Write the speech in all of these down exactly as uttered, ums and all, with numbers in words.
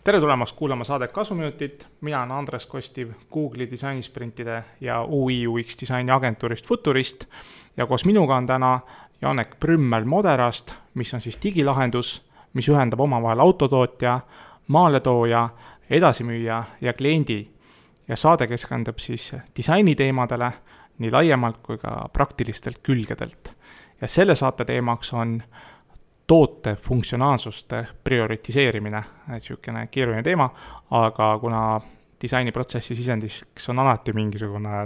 Tere tulemast kuulama saadet Kasvuminutit. Mina olen Andres Kostiv Google'i disainisprintide ja U I U X disaini agentuurist Futurist ja koos minuga on täna Janek Prümmel Moderast, mis on siis digilahendus, mis ühendab omavahel autotootja, maaletooja, edasimüüja ja kliendi. Ja saade keskendub siis disainiteemadele nii laiemalt kui ka praktilistelt külgedelt. Ja selle saate teemaks on toote funktsionaalsuste prioritiseerimine, et sihukene keeruline teema, aga kuna disainiprotsessi sisendiks on alati mingisugune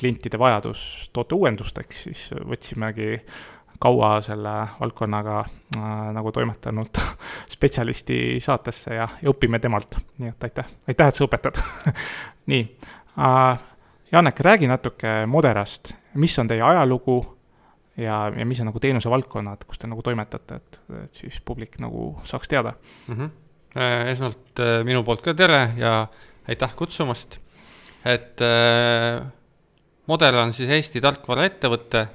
klientide vajadus toote uuendusteks, siis võtsimegi kaua selle valdkonnaga äh, nagu toimetanud spetsialisti saatesse ja, ja õpime temalt. Nii et aitäh, aitäh, et sa õpetad. Nii, äh, Janek, räägi natuke Moderast, mis on teie ajalugu ja, ja mis on nagu teenuse valdkonnad, kus te nagu toimetate, et, et siis publik nagu saaks teada. Mm-hmm. Esmalt minu poolt ka tere ja aitäh kutsumast. Et äh, Moder on siis Eesti tarkvara ettevõtte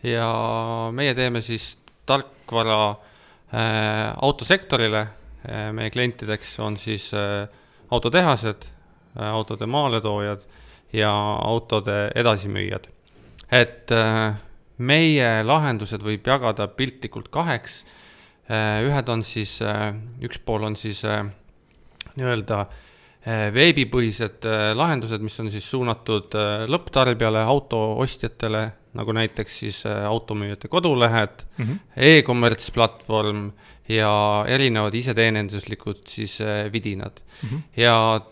ja meie teeme siis tarkvara äh, autosektorile. Äh, meie klientideks on siis äh, autotehased, äh, autode maaletoojad ja autode edasimüüjad. Et äh, meie lahendused võib jagada piltlikult kaheks. Äh, ühed on siis, äh, üks pool on siis äh, nii-öelda veebipõhised lahendused, mis on siis suunatud lõpptarbijale, autoostjatele, nagu näiteks siis automüüjate kodulehed, mm-hmm. e-commerce platvorm ja erinevad iseteenenduslikud siis vidinad. Mm-hmm. Ja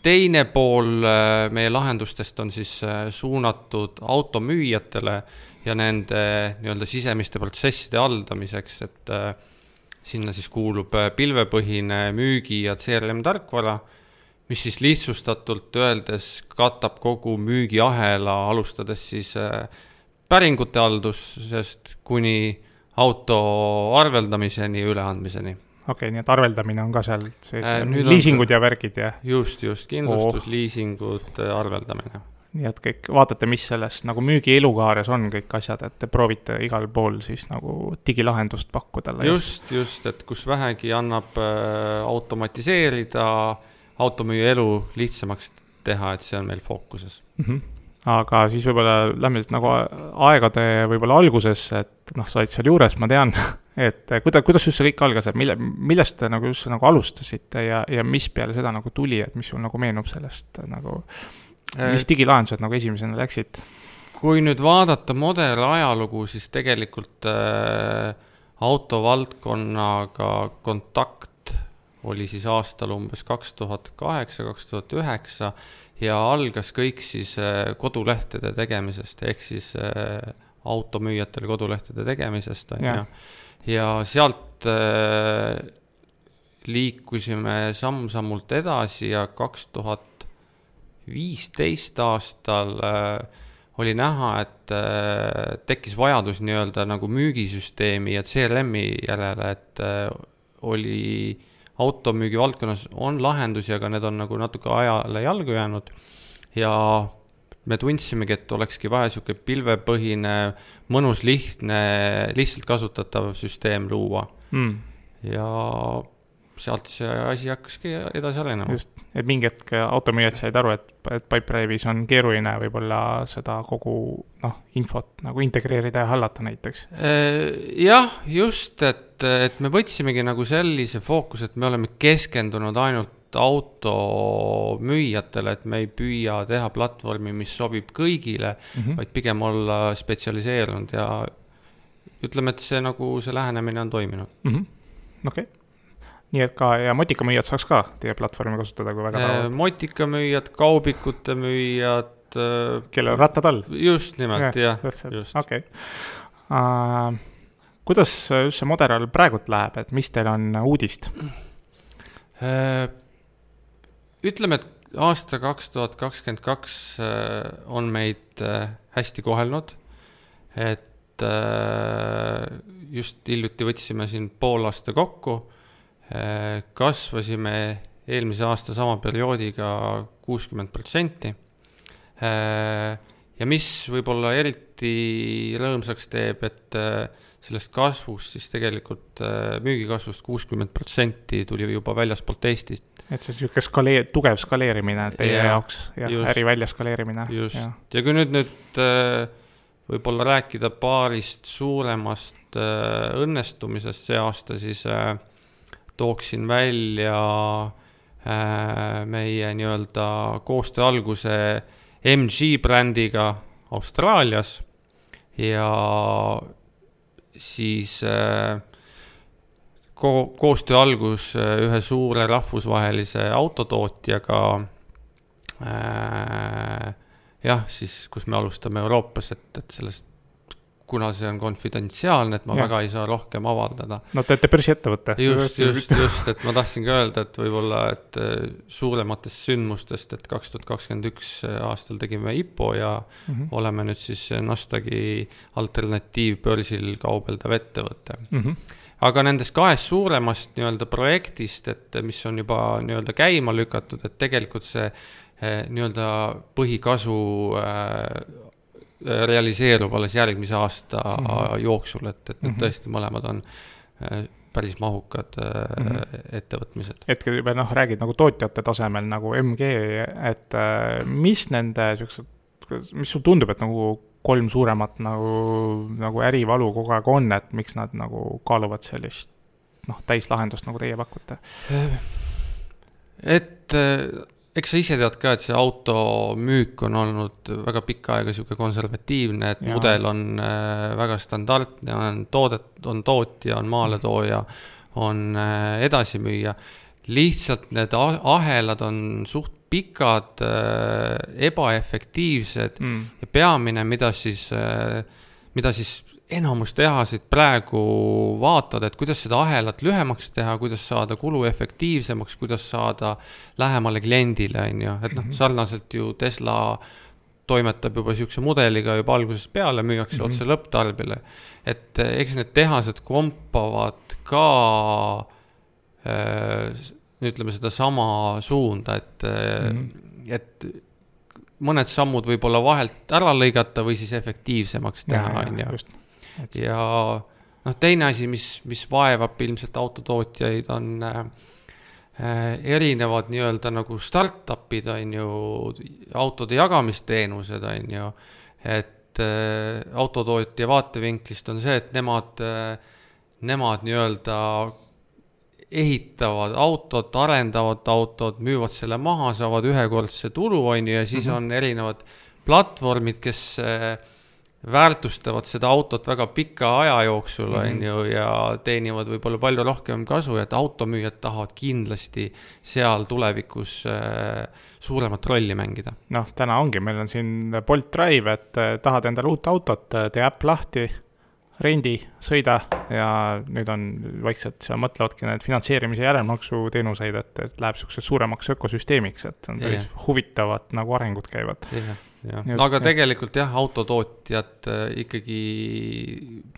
teine pool meie lahendustest on siis suunatud automüüjatele ja nende nii-öelda sisemiste protsesside haldamiseks, et sinna siis kuulub pilvepõhine müügi ja C R M tarkvara, mis siis lihtsustatult öeldes katab kogu müügiahela, alustades siis päringute haldusest kuni auto arveldamiseni ja üleandmiseni. Okei, okay, nii et arveldamine on ka seal, äh, liisingud ja värgid ja... Just, just, kindlustus, oh. liisingud, arveldamine. Nii et kõik, vaatate, mis selles nagu müügi elukaares on kõik asjad, et te proovite igal pool siis nagu digilahendust pakkuda. Just, just, et kus vähegi annab äh, automatiseerida automüüja elu lihtsamaks teha, et see on meil fookuses. Mm-hmm. Aga siis võib-olla lähme nagu aegade võib-olla alguses, et noh, said seal juures, ma tean, et kuidas, kuidas just see kõik algas, et mille, millest te nagu just nagu alustasite ja, ja mis peale seda nagu tuli, et mis sul nagu meenub sellest nagu, mis digilahendused nagu esimesena läksid? Kui nüüd vaadata Moder ajalugu, siis tegelikult äh, autovaldkonnaga kontakt oli siis aastal umbes kaks tuhat kaheksa kaks tuhat üheksa ja algas kõik siis kodulehtede tegemisest, ehk siis automüüjatele kodulehtede tegemisest. On, ja. Ja, ja sealt äh, liikusime samm-sammult edasi ja kaks tuhat viisteist aastal äh, oli näha, et äh, tekkis vajadus nii-öelda nagu müügisüsteemi ja C R M-i järele, et äh, oli automüügi valdkonnas on lahendusi, aga need on nagu natuke ajale jalgu jäänud ja me tundsimegi, et olekski vaja siuke pilvepõhine, mõnus, lihtne, lihtsalt kasutatav süsteem luua. Mm. Ja sealt see asi hakkaski edasi arenema. Just, et mingi hetk automüüjad said aru, et, et Pipedrive'is on keeruline võib-olla seda kogu noh, infot nagu integreerida ja hallata näiteks. Jah, just, et, et me võtsimegi nagu sellise fookus, et me oleme keskendunud ainult automüüjatele, et me ei püüa teha platvormi, mis sobib kõigile, mm-hmm. vaid pigem olla spetsialiseerunud ja ütleme, et see nagu see lähenemine on toiminud. Mm-hmm. Okei. Okay. Nii et ka, ja motikamüüjad saaks ka teie platvormi kasutada, kui väga tahavad. Motikamüüjad, kaubikute müüjad. Kellel rattad all? Just nimelt, jah. Ja, just. Okei. Okay. Uh, kuidas just see Moder praegult läheb, et mis teil on uudist? Uh, ütleme, et aasta kaks tuhat kakskümmend kaks on meid hästi kohelnud, et uh, just hiljuti võtsime siin pool aasta kokku, kasvasime eelmise aasta sama perioodiga kuuskümmend protsenti ja mis võib-olla eriti rõõmsaks teeb, et sellest kasvust siis tegelikult müügikasvust kuuskümmend protsenti tuli juba väljaspoolt Eestist. Et see on skaleer, tugev skaleerimine teie ja, jaoks ja just, äri välja skaleerimine. Just, ja, ja kui nüüd, nüüd võib-olla rääkida paarist suuremast õnnestumisest see aasta, siis tooksin välja meie nii-öelda koostöö alguse M G brändiga Austraalias ja siis ko- koostöö algus ühe suure rahvusvahelise autotootjaga äh, jah, siis kus me alustame Euroopas, et, et sellest, kuna see on konfidentsiaalne, et ma ja. väga ei saa rohkem avaldada. No teete börsiettevõtte. Just, just, just, et ma tahtsin ka öelda, et võib-olla, et suurematest sündmustest, et kaks tuhat kakskümmend üks aastal tegime I P O ja mm-hmm. oleme nüüd siis Nasdaqi alternatiivbörsil kaubeldav ettevõte. Mm-hmm. Aga nendest kahest suuremast nii-öelda projektist, et mis on juba nii-öelda käima lükatud, et tegelikult see nii-öelda põhikasu äh, realiseerub alles järgmise aasta mm-hmm. jooksul, et, et mm-hmm. tõesti mõlemad on päris mahukad mm-hmm. ettevõtmised. Hetkel juba noh, räägid nagu tootjate tasemel nagu M G, et mis nende siuksed, mis sul tundub, et nagu kolm suuremat nagu, nagu ärivalu kogu aeg on, et miks nad nagu kaaluvad sellist noh, täislahendust nagu teie pakute? Et eks sa ise tead ka, et see auto müük on olnud väga pikka aega siuke konservatiivne, et ja. Mudel on äh, väga standardne, on toodet, on tootja, on maaletooja, on äh, edasimüüja. Lihtsalt need ahelad on suht pikad, äh, ebaefektiivsed mm. ja peamine, mida siis, äh, mida siis enamus tehasid praegu vaatad, et kuidas seda ahelat lühemaks teha, kuidas saada kulu efektiivsemaks, kuidas saada lähemale kliendile, on ju. Et noh, sarnaselt ju Tesla toimetab juba siukse mudeliga juba algusest peale, müüakse mm-hmm. otse lõpptarbile. Et eks need tehased kompavad ka äh, ütleme seda sama suunda, et, mm-hmm. et mõned sammud võib-olla vahelt ära lõigata või siis efektiivsemaks teha, on ju. Et... ja noh, teine asi, mis, mis vaevab ilmselt autotootjaid, on äh, erinevad nii-öelda nagu startupid, on ju, autode jagamisteenused, on ju, et äh, autotootja vaatevinklist on see, et nemad, äh, nemad nii-öelda ehitavad autot, arendavad autot, müüvad selle maha, saavad ühekordse tulu, on ju, ja siis mm-hmm. on erinevad platvormid, kes äh, väärtustavad seda autot väga pika aja jooksul mm-hmm. on ju, ja teenivad võib-olla palju rohkem kasu, et automüüjad tahavad kindlasti seal tulevikus äh, suuremat rolli mängida. Noh, täna ongi, meil on siin Bolt Drive, et äh, tahad endale uut autot, tee äpp lahti, rendi, sõida ja nüüd on vaikselt, seal mõtlevadki need finantseerimise järelmaksu teenuseid, et, et läheb selliseks suuremaks ökosüsteemiks, et on päris yeah. huvitavad nagu arengud käivad. Yeah. Ja. Just, aga jah. Tegelikult jah, autotootjad ikkagi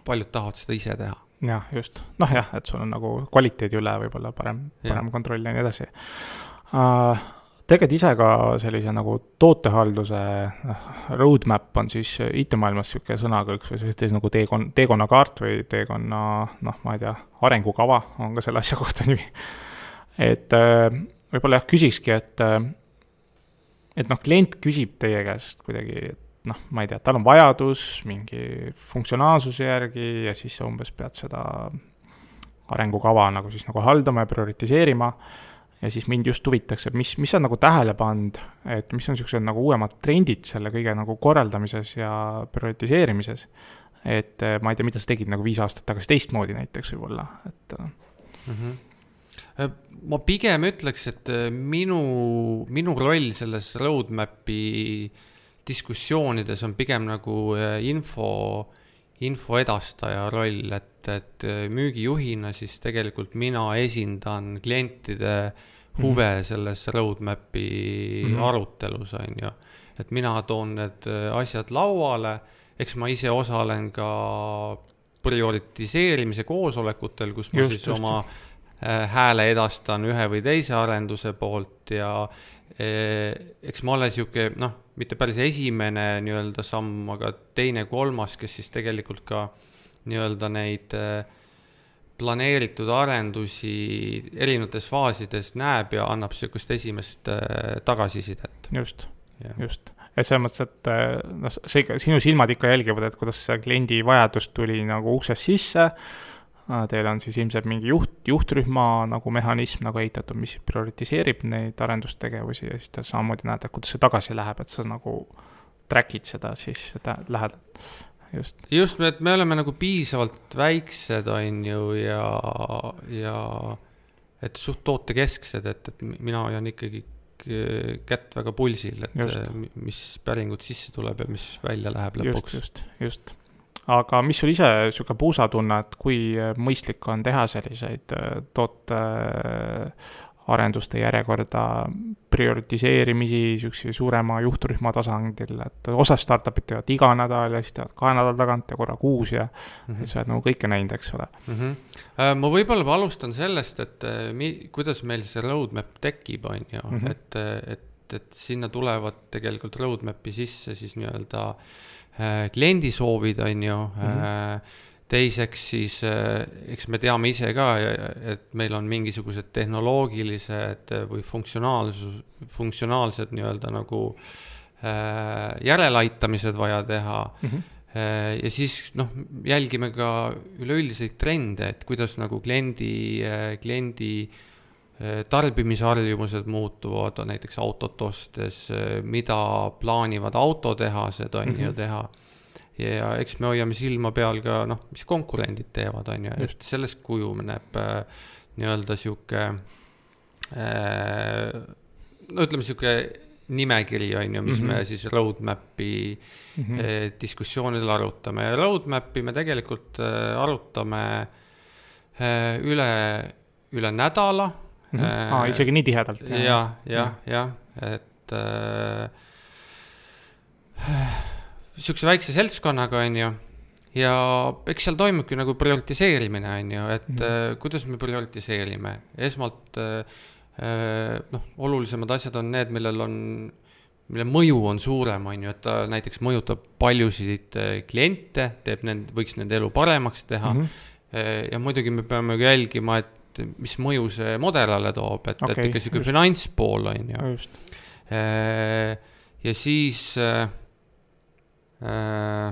paljud tahavad seda ise teha. Jah, just. Noh jah, et sul on nagu kvaliteedi üle võib-olla parem, parem kontroll ja nii edasi. Uh, tegelikult ise ka sellise nagu tootehalduse roadmap on siis I T-maailmas siuke sõnakõlks või selline nagu teekon, teekonnakaart või teekonna, noh, ma ei tea, arengukava on ka selle asja kohta nimi. Et uh, võib-olla jah, küsikski, et et noh, klient küsib teie käest kuidagi, et noh, ma ei tea, tal on vajadus mingi funktsionaalsuse järgi ja siis sa umbes pead seda arengukava nagu siis nagu haldama ja prioritiseerima ja siis mind just huvitaks, et mis, mis on nagu tähele pand, et mis on sellised nagu uuemad trendid selle kõige nagu korraldamises ja prioritiseerimises, et ma ei tea, mida sa tegid nagu viis aastat tagasi teistmoodi näiteks võib-olla, et mm-hmm. Ma pigem ütleks, et minu, minu roll selles roadmapi diskussioonides on pigem nagu info, info edastaja roll, et, et müügijuhina siis tegelikult mina esindan klientide huve mm-hmm. selles roadmapi mm-hmm. arutelus, on ju. Et mina toon need asjad lauale, eks ma ise osalen ka prioritiseerimise koosolekutel, kus ma just, siis just. oma hääle edastan ühe või teise arenduse poolt ja eks ma ole siuke, noh, mitte päris esimene nii-öelda samm, aga teine, kolmas, kes siis tegelikult ka nii-öelda neid planeeritud arendusi erinevates faasides näeb ja annab siukest esimest tagasisidet. Just, ja. just. Et selles mõttes, et no, see, sinu silmad ikka jälgivad, et kuidas see kliendi vajadus tuli nagu uksest sisse. Teil on siis ilmselt mingi juht, juhtrühma nagu mehhanism nagu ehitatud, mis prioritiseerib neid arendustegevusi ja siis ta samamoodi näed, et kuidas see tagasi läheb, et sa nagu trackid seda, siis seda lähed just. Just, et me oleme nagu piisavalt väiksed, on ju, ja, ja et suht tootekesksed, et, et mina hoian ikkagi kätt väga pulsil, et just. Mis päringud sisse tuleb ja mis välja läheb lõpuks. Just, just, just. Aga mis sul ise siuke puusa tunne, et kui mõistlik on teha selliseid toote arenduste järjekorda prioritiseerimisi siukse suurema juhtrühma tasandil, et osa startupid teevad iga nädal ja siis teevad kahe nädal tagant ja korra kuus ja mm -hmm. et sa oled nagu kõike näinud, eks ole. Mm -hmm. Ma võib-olla alustan sellest, et mi, kuidas meil see roadmap tekib, on ju, mm -hmm. et, et, et sinna tulevad tegelikult roadmapi sisse siis nii-öelda kliendi soovid, on ju, mm-hmm. teiseks siis, eks me teame ise ka, et meil on mingisugused tehnoloogilised või funktsionaalsus, funktsionaalsed nii-öelda nagu järeleaitamised vaja teha mm-hmm. ja siis noh, jälgime ka üleüldiseid trende, et kuidas nagu kliendi, kliendi tarbimisharjumused muutuvad, näiteks autot ostes, mida plaanivad autotehased, on mm-hmm. ju teha. Ja eks me hoiame silma peal ka, noh, mis konkurendid teevad, on ju, et sellest kujuneb nii-öelda siuke, no ütleme siuke nimekiri, on ju, mis mm-hmm. me siis roadmapi mm-hmm. diskussioonil arutame. Ja roadmapi me tegelikult arutame üle, üle nädala. Mm-hmm. Aa, isegi nii tihedalt. Ja, ja, ja, et äh, siukse väikse seltskonnaga, on ju, ja eks seal toimubki nagu prioritiseerimine, on ju, et mm-hmm. äh, kuidas me prioritiseerime. Esmalt äh, noh, olulisemad asjad on need, millel on, mille mõju on suurem, on ju, et ta näiteks mõjutab paljusid kliente, teeb nend, võiks nende elu paremaks teha mm-hmm. ja muidugi me peame jälgima, et mis mõju see modelale toob, et, okay, et ikka siuke finantspool, on ju. Ja siis äh, äh,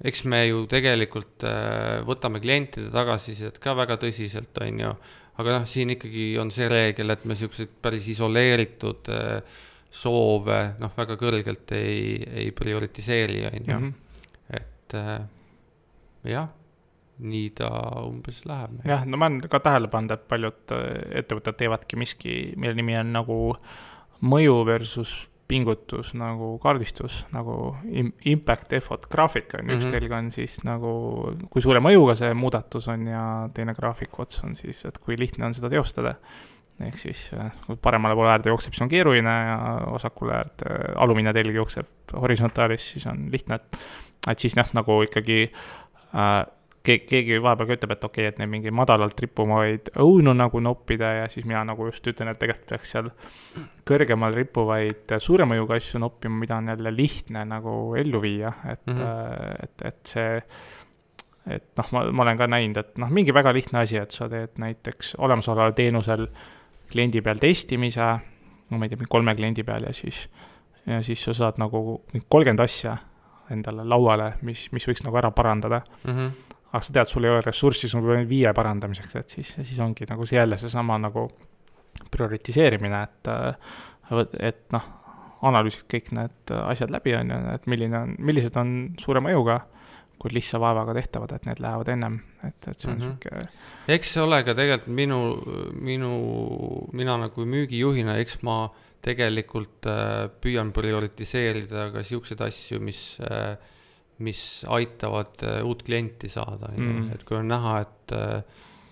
eks me ju tegelikult äh, võtame klientide tagasisidet ka väga tõsiselt, on ju, aga noh, siin ikkagi on see reegel, et me siukseid päris isoleeritud äh, soove noh, väga kõrgelt ei, ei prioritiseeri, on ju. Mm-hmm. Et äh, jah, nii ta umbes läheb. Jah, no ma olen ka tähele pannud, et paljud ettevõtted teevadki miski, mille nimi on nagu mõju versus pingutus, nagu kaardistus, nagu impact effort graafik on. Mm-hmm. Üks telg on siis nagu, kui suure mõjuga see muudatus on ja teine graafiku ots on siis, et kui lihtne on seda teostada. Ehk siis kui paremale poole äärde jookseb, siis on keeruline ja vasakule äärde alumine telg jookseb horisontaalis, siis on lihtne, et, et siis noh, nagu ikkagi äh, keegi vahepeal ka ütleb, et okei, okay, et neid mingi madalalt rippuvaid õunu nagu noppida ja siis mina nagu just ütlen, et tegelikult peaks seal kõrgemal rippuvaid suuremõjuga asju noppima, mida on jälle lihtne nagu ellu viia, et, mm-hmm. et, et see, et noh, ma, ma olen ka näinud, et noh, mingi väga lihtne asi, et sa teed näiteks olemasoleval teenusel kliendi peal testimise, no ma ei tea, kolme kliendi peal ja siis, ja siis sa saad nagu kolmkümmend asja endale lauale, mis, mis võiks nagu ära parandada. Mm-hmm. Aga sa tead, sul ei ole ressurssi, sul on viie parandamiseks, et siis, siis ongi nagu see jälle see sama nagu prioritiseerimine, et, et noh, analüüsid kõik need asjad läbi on, et milline on, millised on suure mõjuga, kui lihtsa vaevaga tehtavad, et need lähevad ennem, et, et see on mm-hmm. siuke. Eks see ole ka tegelikult minu, minu, mina nagu müügijuhina, eks ma tegelikult püüan prioritiseerida ka siukseid asju, mis mis aitavad uut klienti saada. Mm. Et kui on näha, et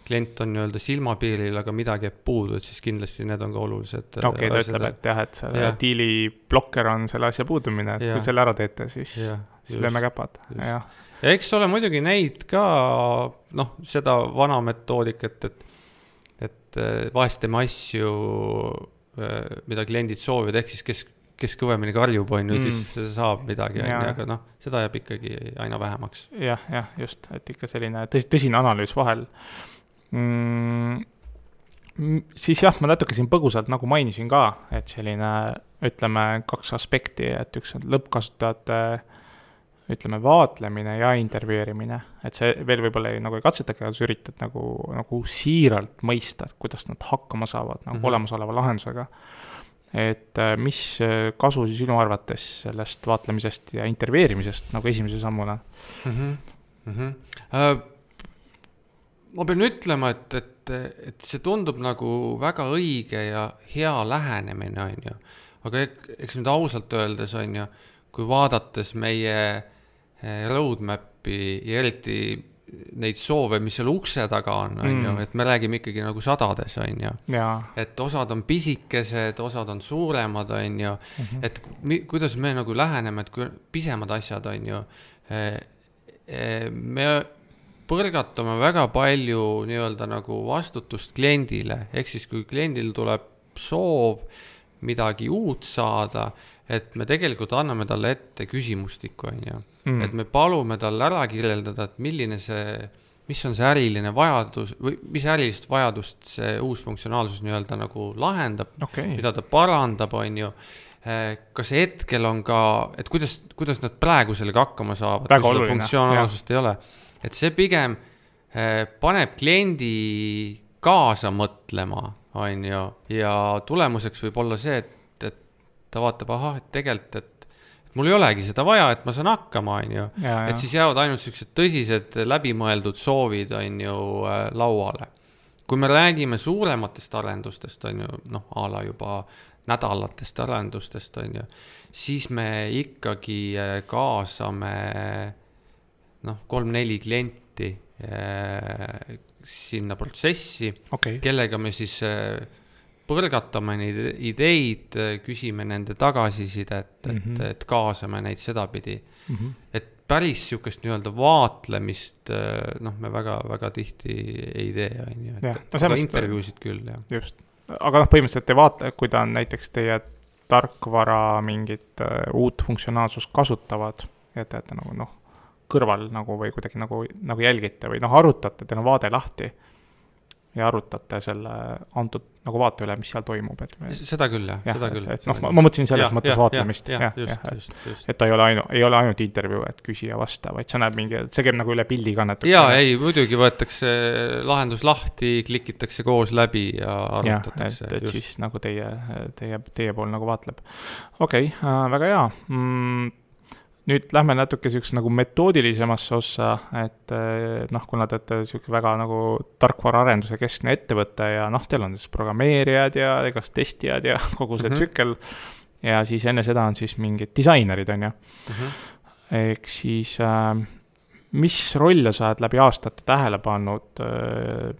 klient on nii-öelda silmapiiril, aga midagi jääb puudu, et siis kindlasti need on ka olulised. Okei, okay, ta ütleb, et jah, et selle ja. Diili blokker on selle asja puudumine, et ja. Kui selle ära teete, siis, siis lööme käpad. Ja. Ja eks ole muidugi neid ka, noh, seda vana metoodikat, et, et vahest teeme asju mida kliendid soovivad, ehk siis kes, kes kõvemini karjub, on ju, mm. siis saab midagi, on ju, aga noh, seda jääb ikkagi aina vähemaks. Jah, jah, just, et ikka selline tõs, tõsine analüüs vahel. Mm, siis jah, ma natuke siin põgusalt nagu mainisin ka, et selline, ütleme, kaks aspekti, et üks on lõppkasutajate, ütleme, vaatlemine ja intervjueerimine, et see veel võib-olla ei, nagu ei katsetagi, aga sa üritad nagu, nagu siiralt mõista, et kuidas nad hakkama saavad nagu mm-hmm. olemasoleva lahendusega. Et mis kasu siis sinu arvates sellest vaatlemisest ja intervjueerimisest nagu esimese sammuna? Mm-hmm. Mm-hmm. Uh, ma pean ütlema, et, et, et see tundub nagu väga õige ja hea lähenemine, on ju. Aga eks nüüd ausalt öeldes, on ju, kui vaadates meie roadmapi ja eriti neid soove, mis seal ukse taga on, on mm. ju, et me räägime ikkagi nagu sadades, on ju. Ja. Et osad on pisikesed, osad on suuremad, on ju. Mm-hmm. Et mi, kuidas me nagu läheneme, et kui pisemad asjad, on ju, me põrgatame väga palju nii-öelda nagu vastutust kliendile, ehk siis kui kliendil tuleb soov midagi uut saada, et me tegelikult anname talle ette küsimustikku, on ju. Mm. Et me palume talle ära kirjeldada, et milline see, mis on see äriline vajadus või mis ärilist vajadust see uus funktsionaalsus nii-öelda nagu lahendab, okay. mida ta parandab, on ju. Kas hetkel on ka, et kuidas, kuidas nad praegu sellega hakkama saavad, kui selle funktsionaalsust ei ole. Et see pigem paneb kliendi kaasa mõtlema, on ju, ja tulemuseks võib olla see, et ta vaatab, aha, et tegelikult, et, et mul ei olegi seda vaja, et ma saan hakkama, on ju. Ja, et ja. Siis jäävad ainult sellised tõsised läbimõeldud soovid, on ju, lauale. Kui me räägime suurematest arendustest, on ju, noh, a la juba nädalatest arendustest, on ju, siis me ikkagi kaasame, noh, kolm-neli klienti sinna protsessi, okay. kellega me siis põrgatame neid ideid, küsime nende tagasisidet, et, mm-hmm. et, et kaasame neid sedapidi. Mm-hmm. Et päris sihukest nii-öelda vaatlemist, noh, me väga, väga tihti ei tee, on ju. Et, ja, no aga intervjuusid küll, jah. Just. Aga noh, põhimõtteliselt ei vaata, kui ta on näiteks teie tarkvara mingit uh, uut funktsionaalsust kasutavad, et, et nagu noh, kõrval nagu või kuidagi nagu, nagu jälgite või noh, arutate, teil on vaade lahti ja arutate selle antud nagu vaate üle, mis seal toimub. Et me... Seda küll, jah, seda küll. Et, noh, ma, ma mõtlesin selles ja, mõttes ja, vaatlemist. Ja, ja, ja, just, et, just, just. Et ta ei ole, ainu, ei ole ainult intervjuu, et küsija vasta, vaid see näeb mingi, see käib nagu üle pildi kannetud. Jaa, ei, muidugi võetakse lahendus lahti, klikitakse koos läbi ja arutatakse. Ja, et, et siis nagu teie, teie, teie pool nagu vaatleb. Okei, okay, äh, väga hea. Mm, nüüd lähme natuke selleks nagu metoodilisemasse ossa, et noh, kuna te olete väga nagu tarkvaraarenduse keskne ettevõte ja noh, teil on siis programmeerijad ja igast testijad ja kogu see mm-hmm. tsükkel ja siis enne seda on siis mingid disainerid, on ju. Mm-hmm. Ehk siis äh, mis rolle sa oled läbi aastate tähele pannud äh,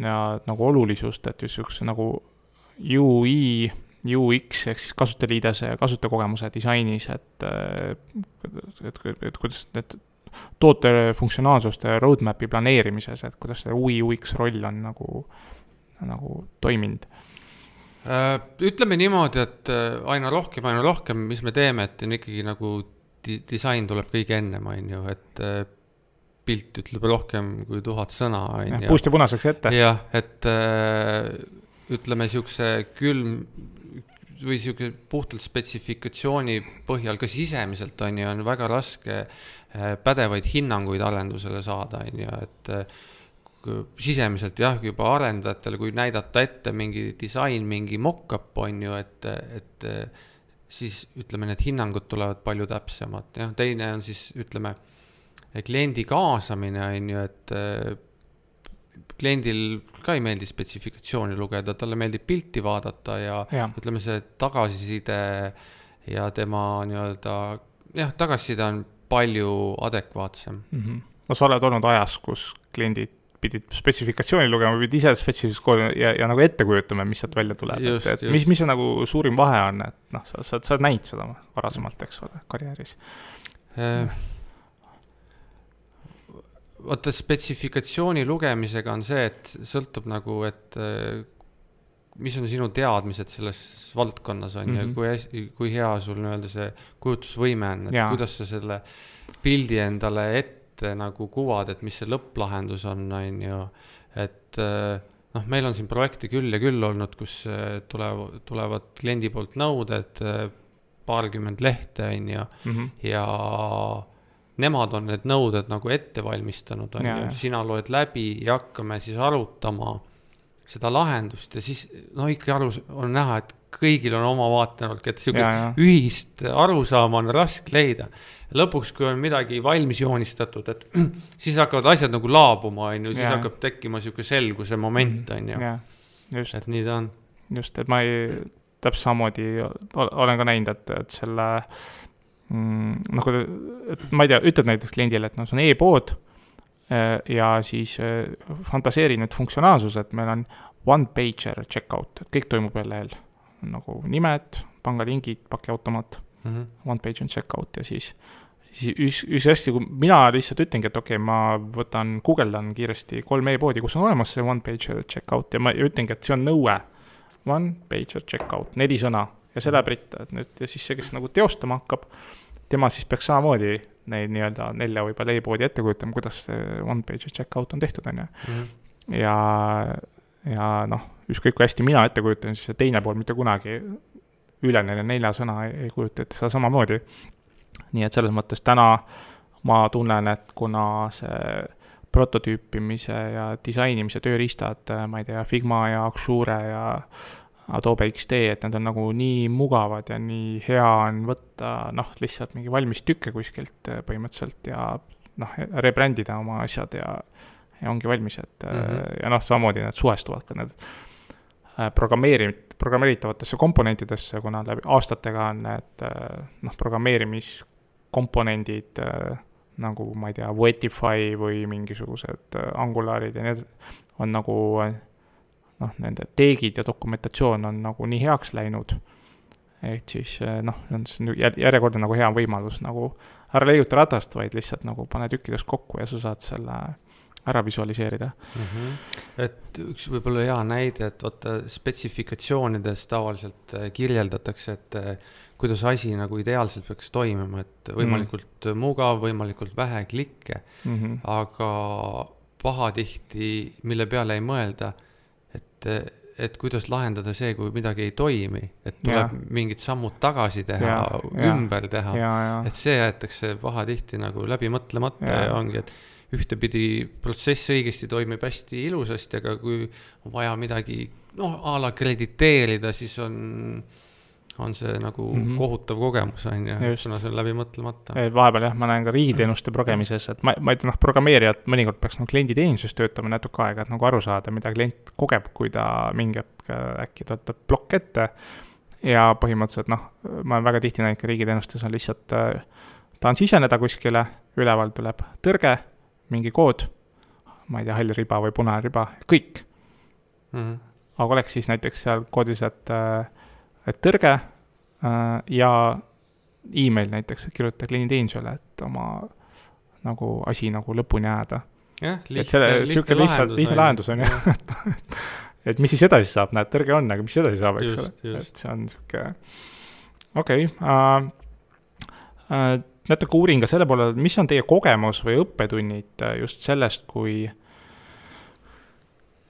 ja nagu olulisust, et just nagu U I U X ehk siis kasutajaliidese ja kasutajakogemuse disainis, et, et, et, et kuidas need toote funktsionaalsuste roadmapi planeerimises, et kuidas see U I U X roll on nagu, nagu toiminud? Ütleme niimoodi, et aina rohkem, aina rohkem, mis me teeme, et on ikkagi nagu di- disain tuleb kõige ennem, on ju, et pilt ütleb rohkem kui tuhat sõna. Ja, puust ja punaseks ette. Jah, et ütleme siukse külm või siuke puhtalt spetsifikatsiooni põhjal ka sisemiselt on ju, on väga raske pädevaid hinnanguid arendusele saada, on ju, et sisemiselt jah, juba arendajatele, kui näidata ette mingi disain, mingi mock-up on ju, et, et siis ütleme, need hinnangud tulevad palju täpsemad. Ja, teine on siis, ütleme, kliendi kaasamine on ju, et kliendil ka ei meeldi spetsifikatsiooni lugeda, talle meeldib pilti vaadata ja, ja. ütleme see tagasiside ja tema nii-öelda, jah, tagasiside on palju adekvaatsem. Mm-hmm. No sa oled olnud ajas, kus kliendid pidid spetsifikatsiooni lugema, pidid ise spetsifikatsiooni ja, ja nagu ette kujutame, mis sealt välja tuleb. Just, et, et mis, mis see nagu suurim vahe on, et noh, sa, sa, sa näid seda varasemalt, eks ole, karjääris. Eh. Vaata, spetsifikatsiooni lugemisega on see, et sõltub nagu, et mis on sinu teadmised selles valdkonnas on mm-hmm. ja kui, kui hea sul nii-öelda see kujutusvõime on, et ja. Kuidas sa selle pildi endale ette nagu kuvad, et mis see lõpplahendus on, on ju, et noh, meil on siin projekti küll ja küll olnud, kus tulevad, tulevad kliendi poolt nõuded, paarkümmend lehte on ju mm-hmm. ja nemad on need nõuded nagu ette valmistanud, on ja, ju, sina loed läbi ja hakkame siis arutama seda lahendust ja siis no ikka aru, on näha, et kõigil on oma vaatenurk, et sellist ühist arusaama on raske leida. Lõpuks, kui on midagi valmis joonistatud, et siis hakkavad asjad nagu laabuma, on ju, siis ja. Hakkab tekkima selline selguse moment, on ju. Just. Et nii ta on. Just, et ma ei täpselt samamoodi olen ka näinud, et, et selle mm, nagu, et ma ei tea, ütled näiteks kliendile, et no see on e-pood ja siis fantaseeri nüüd funktsionaalsus, et meil on one-pager checkout, et kõik toimub veel lehel, nagu nimed, pangalingid, pakiautomaat, mm-hmm. one-pager checkout ja siis, siis üks, üks hästi, kui mina lihtsalt ütlengi, et okei, okay, ma võtan, guugeldan kiiresti kolm e-poodi, kus on olemas see one-pager checkout ja ma ütlengi, et see on nõue, one-pager checkout, neli sõna ja see läheb ritta, et nüüd ja siis see, kes nagu teostama hakkab, tema siis peaks samamoodi neid nii-öelda nelja või palju e-poodi ette kujutama, kuidas see one-pager checkout on tehtud, on ju. Mm-hmm. Ja, ja noh, ükskõik kui hästi mina ette kujutan, siis see teine pool mitte kunagi üle neile nelja sõna ei, ei kujuta, et seda samamoodi. Nii et selles mõttes täna ma tunnen, et kuna see prototüüpimise ja disainimise tööriistad, ma ei tea, Figma ja Axure ja Adobe X D, et need on nagu nii mugavad ja nii hea on võtta noh, lihtsalt mingi valmis tükke kuskilt põhimõtteliselt ja noh, rebrändida oma asjad ja, ja ongi valmis, et mm-hmm. ja noh, samamoodi need suhestuvad ka need programmeeri-, programmeeritavatesse komponentidesse, kuna läbi aastatega on need noh, programmeerimiskomponendid nagu, ma ei tea, Wetify või mingisugused Angularid ja need on nagu noh, nende teegid ja dokumentatsioon on nagu nii heaks läinud, et siis noh, see on järjekordne nagu hea võimalus nagu ära leiuta ratast, vaid lihtsalt nagu pane tükkidest kokku ja sa saad selle ära visualiseerida. Mm-hmm. Et üks võib-olla hea näide, et vaata spetsifikatsioonides tavaliselt kirjeldatakse, et kuidas asi nagu ideaalselt peaks toimima, et võimalikult mm-hmm. mugav, võimalikult vähe klikke, mm-hmm. aga pahatihti, mille peale ei mõelda, et, et kuidas lahendada see, kui midagi ei toimi, et tuleb ja. Mingid sammud tagasi teha, ja, ümber ja. Teha, ja, ja. Et see jäetakse pahatihti nagu läbi mõtlemata ja, ja ongi, et ühtepidi protsess õigesti toimib hästi ilusasti, aga kui on vaja midagi noh, a la krediteerida, siis on, on see nagu mm-hmm. kohutav kogemus on ja kuna see on läbi mõtlemata. Vahepeal jah, ma näen ka riigiteenuste progemises, et ma, ma ei tea, noh, programmeerijad mõnikord peaks nagu klienditeenisuses töötama natuke aega, et nagu aru saada, mida klient kogeb, kui ta mingi hetk äkki tõotab plokk ette ja põhimõtteliselt noh, ma olen väga tihti näinud ka riigiteenustes on lihtsalt ta on siseneda kuskile, üleval tuleb tõrge, mingi kood, ma ei tea, hall riba või punane riba, kõik. Mm-hmm. Aga oleks siis näiteks seal koodis, et, et tõrge ja e-mail näiteks, et kirjuta klienditeenusele, et oma nagu asi nagu lõpuni jääda. Jah, lihtne lahendus, lihtne lahendus on jah. Et mis siis edasi saab, näed, tõrge on, aga mis edasi saab, eks ole. Et see on siuke, okei, okay, uh, uh, natuke uurin ka selle poole, mis on teie kogemus või õppetunnid just sellest, kui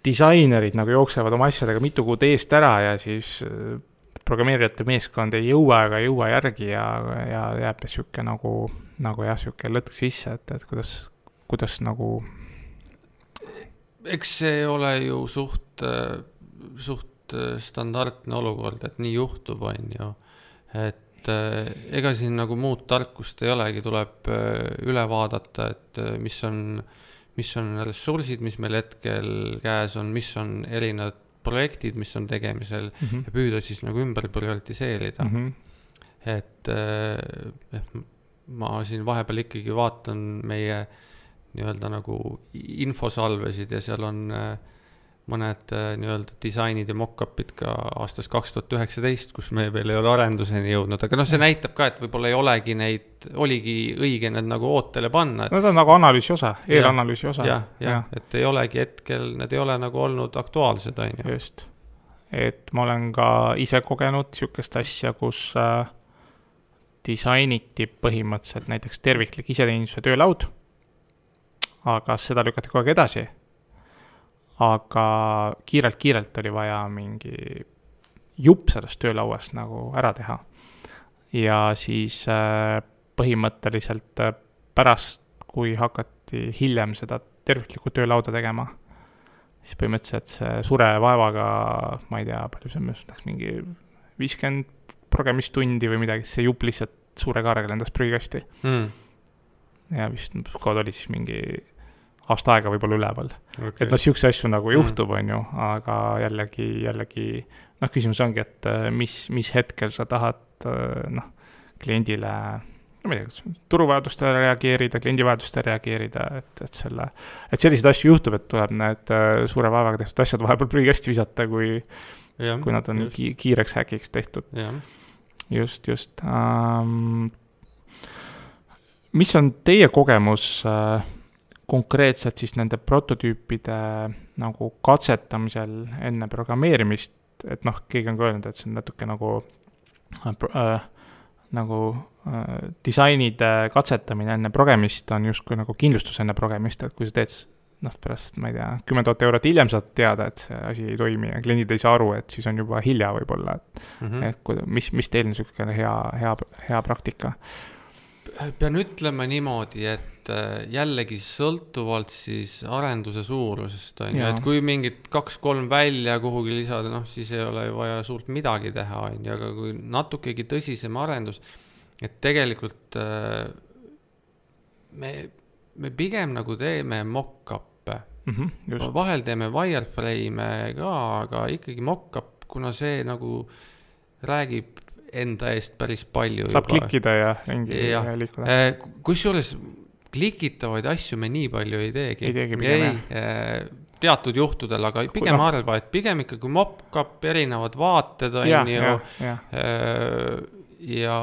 disainerid nagu jooksevad oma asjadega mitu kuud eest ära ja siis programmeerijate meeskond ei jõua ega jõua järgi ja, ja jääb siuke nagu, nagu jah, siuke lõtk sisse, et, et kuidas, kuidas nagu... Eks see ole ju suht, suht standardne olukord, et nii juhtub, on ju, et et ega siin nagu muud tarkust ei olegi, tuleb üle vaadata, et mis on, mis on ressursid, mis meil hetkel käes on, mis on erinevad projektid, mis on tegemisel mm-hmm. ja püüda siis nagu ümber prioritiseerida. Mm-hmm. Et eh, ma siin vahepeal ikkagi vaatan meie nii-öelda nagu infosalvesid ja seal on eh, mõned nii-öelda disainid ja mock-upid ka aastast kaks tuhat üheksateist, kus me veel ei ole arenduseni jõudnud, aga noh, see näitab ka, et võib-olla ei olegi neid, oligi õige need nagu ootele panna. Need on nagu analüüsi osa, eelanalüüsi osa. Jah, jah, et ei olegi hetkel, need ei ole nagu olnud aktuaalsed, on ju. Just. et ma olen ka ise kogenud sihukest asja, kus äh, disainiti põhimõtteliselt näiteks terviklik iseteenistuse töölaud, aga seda lükati kogu aeg edasi. Aga kiirelt-kiirelt oli vaja mingi jupp sellest töölauast nagu ära teha. Ja siis äh, põhimõtteliselt äh, pärast, kui hakati hiljem seda terviklikku töölauda tegema, siis põhimõtteliselt see sure vaevaga, ma ei tea, palju see läks mingi viiskümmend progemistundi või midagi, see jupp lihtsalt suure kaarega lendas prügikasti. Mm. Ja vist kood oli siis mingi aasta aega võib-olla üleval. Okay. Et noh, siukse asju nagu juhtub, mm. on ju, aga jällegi, jällegi, noh, küsimus ongi, et mis, mis hetkel sa tahad, noh, kliendile, no ma ei tea, turuvajadustele reageerida, kliendivajadustele reageerida, et, et selle, et selliseid asju juhtub, et tuleb need suure vaevaga tehtud asjad vahepeal prügikasti visata, kui, ja, kui nad on ki- kiireks häkiks tehtud. Ja. Just, just. Um, mis on teie kogemus uh, konkreetselt siis nende prototüüpide nagu katsetamisel enne programmeerimist, et noh, keegi on ka öelnud, et see on natuke nagu uh, uh, nagu uh, disainide katsetamine enne progemist on justkui nagu kindlustus enne progemist, et kui sa teed noh, pärast, ma ei tea, kümme tuhat eurot hiljem saad teada, et see asi ei toimi ja kliendid ei saa aru, et siis on juba hilja võib-olla, et, mm-hmm. et mis, mis teil on niisugune hea, hea, hea praktika? Pean ütlema niimoodi, et jällegi sõltuvalt siis arenduse suurusest on ju, et kui mingid kaks-kolm välja kuhugi lisada, noh, siis ei ole vaja suurt midagi teha, on ju, aga kui natukegi tõsisem arendus, et tegelikult me, me pigem nagu teeme mock-up. Mm-hmm, vahel teeme wireframe ka, aga ikkagi mock-up, kuna see nagu räägib enda eest päris palju. Saab juba klikkida ja ringi ja liikuda. Kusjuures klikitavaid asju me nii palju ei teegi. Ei teegi pigem, ei, teatud juhtudel, aga pigem no. arva, et pigem ikkagi mock-up, erinevad vaated on ja, ju. Ja, ja. ja,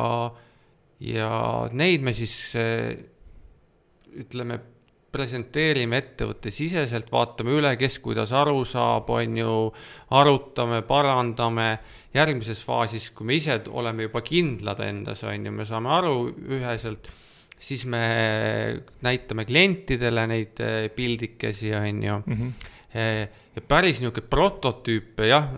ja neid me siis ütleme, presenteerime ettevõtte siseselt, vaatame üle, kes kuidas aru saab, on ju, arutame, parandame. Järgmises faasis, kui me ise oleme juba kindlad endas, on ju, me saame aru üheselt, siis me näitame klientidele neid pildikesi, on ju. Mm-hmm. Ja päris niisugune prototüüpe, jah,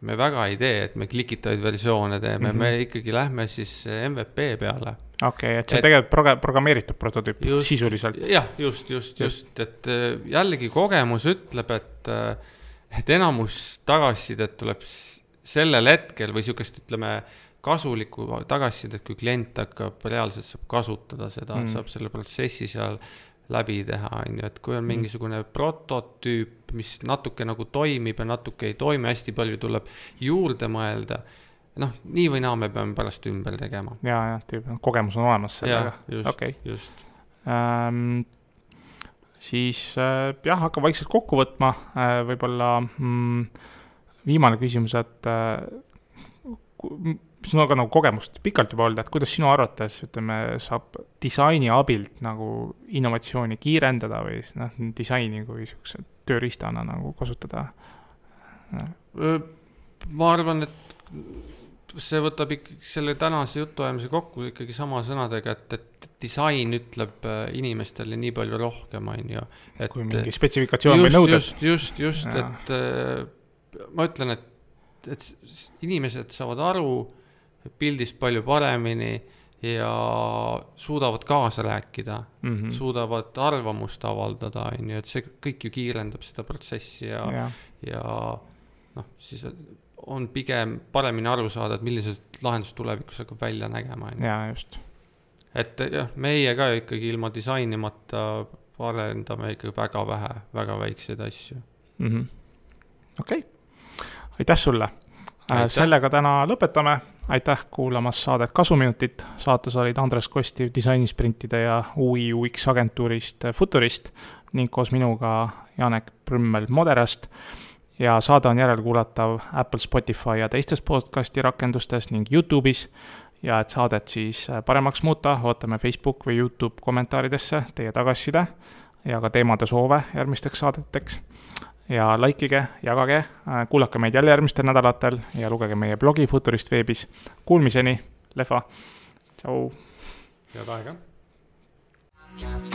me väga ei tee, et me klikitavaid versioone teeme, mm-hmm. me ikkagi lähme siis M V P peale. Okei, okay, et see et, tegelikult proge- programmeeritud prototüüp just, sisuliselt. Jah, just, just, just, et jällegi kogemus ütleb, et, et enamus tagasisidet tuleb sellel hetkel või niisugust, ütleme, kasulikku tagasisidet, kui klient hakkab reaalselt saab kasutada seda, mm. saab selle protsessi seal läbi teha, on ju, et kui on mingisugune mm. prototüüp, mis natuke nagu toimib ja natuke ei toimi, hästi palju tuleb juurde mõelda, noh, nii või naa me peame pärast ümber tegema. Ja, ja, tüüp, kogemus on olemas sellega. Ja, just, okay. just. Ähm, siis äh, jah, hakkab vaikselt kokku võtma, äh, võib-olla mm, viimane küsimus, et äh, mis on aga nagu kogemust pikalt juba olnud, et kuidas sinu arvates, ütleme, saab disaini abilt nagu innovatsiooni kiirendada või noh, disaini kui niisuguse tööriistana nagu kasutada? Ma arvan, et see võtab ikkagi selle tänase jutuajamise kokku ikkagi sama sõnadega, et, et disain ütleb inimestele nii palju rohkem, on ju. Et, kui mingi spetsifikatsioon või nõuded. Just, just, just, ja. et ma ütlen, et, et inimesed saavad aru pildist palju paremini ja suudavad kaasa rääkida, mm-hmm. suudavad arvamust avaldada, on ju, et see kõik ju kiirendab seda protsessi ja, ja. ja noh, siis on pigem paremini aru saada, et millised lahendus tulevikus hakkab välja nägema. Jaa, just. Et jah, meie ka ikkagi ilma disainimata arendame ikkagi väga vähe, väga väikseid asju. Mm-hmm. Okei, okay. Aitäh sulle. Aitäh. Sellega täna lõpetame. Aitäh kuulamas saadet Kasuminutit. Saates olid Andres Kostiv disainisprintide ja U I U X agentuurist Futurist ning koos minuga Janek Prümmel Moderast. Ja saade on järelkuulatav Apple, Spotify ja teistes podcasti rakendustes ning YouTube'is. Ja et saadet siis paremaks muuta, ootame Facebook või YouTube kommentaaridesse teie tagasiside ja ka teemade soove järgmisteks saadeteks. ja likeige, jagage, kuulake meid jälle järgmistel nädalatel ja lugege meie blogi Futurist veebis. Kuulmiseni, Lehva, tšau! Head aega! Just